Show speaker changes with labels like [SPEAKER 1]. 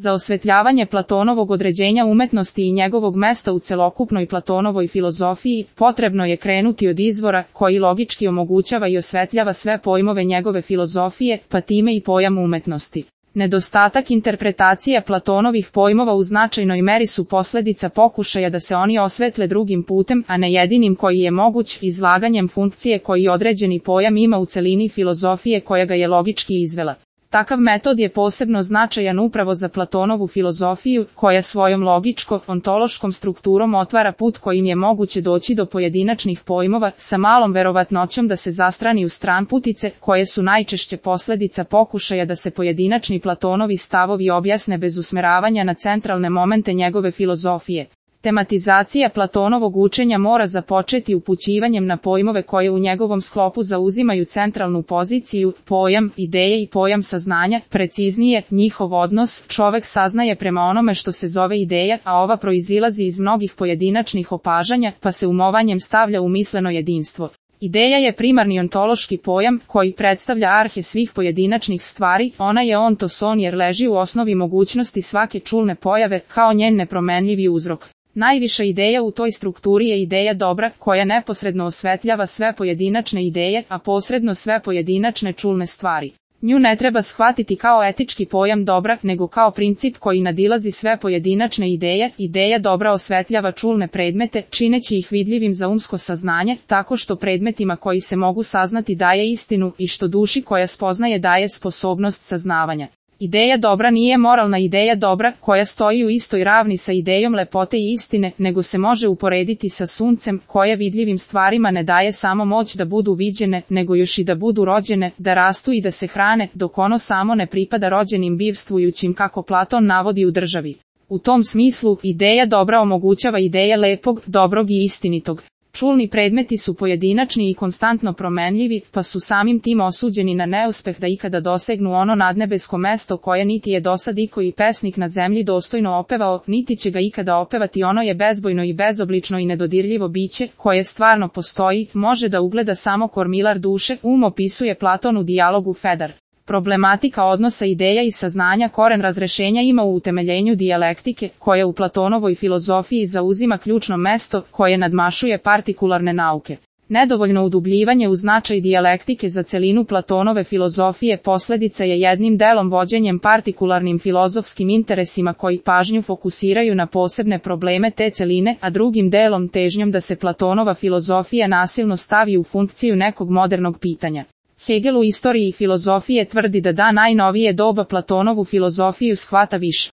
[SPEAKER 1] Za osvetljavanje Platonovog određenja umetnosti i njegovog mesta u celokupnoj Platonovoj filozofiji, potrebno je krenuti od izvora, koji logički omogućava i osvetljava sve pojmove njegove filozofije, pa time i pojam umetnosti. Nedostatak interpretacije Platonovih pojmova u značajnoj meri su posljedica pokušaja da se oni osvetle drugim putem, a ne jedinim koji je moguć, izlaganjem funkcije koji određeni pojam ima u celini filozofije koja ga je logički izvela. Takav metod je posebno značajan upravo za Platonovu filozofiju, koja svojom logičko-ontološkom strukturom otvara put kojim je moguće doći do pojedinačnih pojmova, sa malom verovatnoćom da se zastrani u stranputice, koje su najčešće posljedica pokušaja da se pojedinačni Platonovi stavovi objasne bez usmeravanja na centralne momente njegove filozofije. Tematizacija Platonovog učenja mora započeti upućivanjem na pojmove koje u njegovom sklopu zauzimaju centralnu poziciju, pojam ideje i pojam saznanja, preciznije, njihov odnos, čovek saznaje prema onome što se zove ideja, a ova proizilazi iz mnogih pojedinačnih opažanja, pa se umovanjem stavlja u misleno jedinstvo. Ideja je primarni ontološki pojam, koji predstavlja arhe svih pojedinačnih stvari, ona je ontoson jer leži u osnovi mogućnosti svake čulne pojave, kao njen nepromenljivi uzrok. Najviša ideja u toj strukturi je ideja dobra, koja neposredno osvetljava sve pojedinačne ideje, a posredno sve pojedinačne čulne stvari. Nju ne treba shvatiti kao etički pojam dobra, nego kao princip koji nadilazi sve pojedinačne ideje. Ideja dobra osvetljava čulne predmete, čineći ih vidljivim za umsko saznanje, tako što predmetima koji se mogu saznati daje istinu i što duši koja spoznaje daje sposobnost saznavanja. Ideja dobra nije moralna ideja dobra, koja stoji u istoj ravni sa idejom lepote i istine, nego se može uporediti sa suncem, koje vidljivim stvarima ne daje samo moć da budu viđene, nego još i da budu rođene, da rastu i da se hrane, dok ono samo ne pripada rođenim bivstvujućim, kako Platon navodi u Državi. U tom smislu, ideja dobra omogućava ideje lepog, dobrog i istinitog. Čulni predmeti su pojedinačni i konstantno promenljivi, pa su samim tim osuđeni na neuspeh da ikada dosegnu ono nadnebesko mesto koje niti je dosad ikoji pesnik na zemlji dostojno opevao, niti će ga ikada opevati. Ono je bezbojno i bezoblično i nedodirljivo biće, koje stvarno postoji, može da ugleda samo kormilar duše, opisuje Platon u dijalogu Fedar. Problematika odnosa ideja i saznanja koren razrešenja ima u utemeljenju dijalektike, koja u Platonovoj filozofiji zauzima ključno mesto, koje nadmašuje partikularne nauke. Nedovoljno udubljivanje u značaj dijalektike za celinu Platonove filozofije posljedica je jednim delom vođenjem partikularnim filozofskim interesima koji pažnju fokusiraju na posebne probleme te celine, a drugim delom težnjom da se Platonova filozofija nasilno stavi u funkciju nekog modernog pitanja. Hegel u Istoriji filozofije tvrdi da najnovije doba Platonovu filozofiju shvata više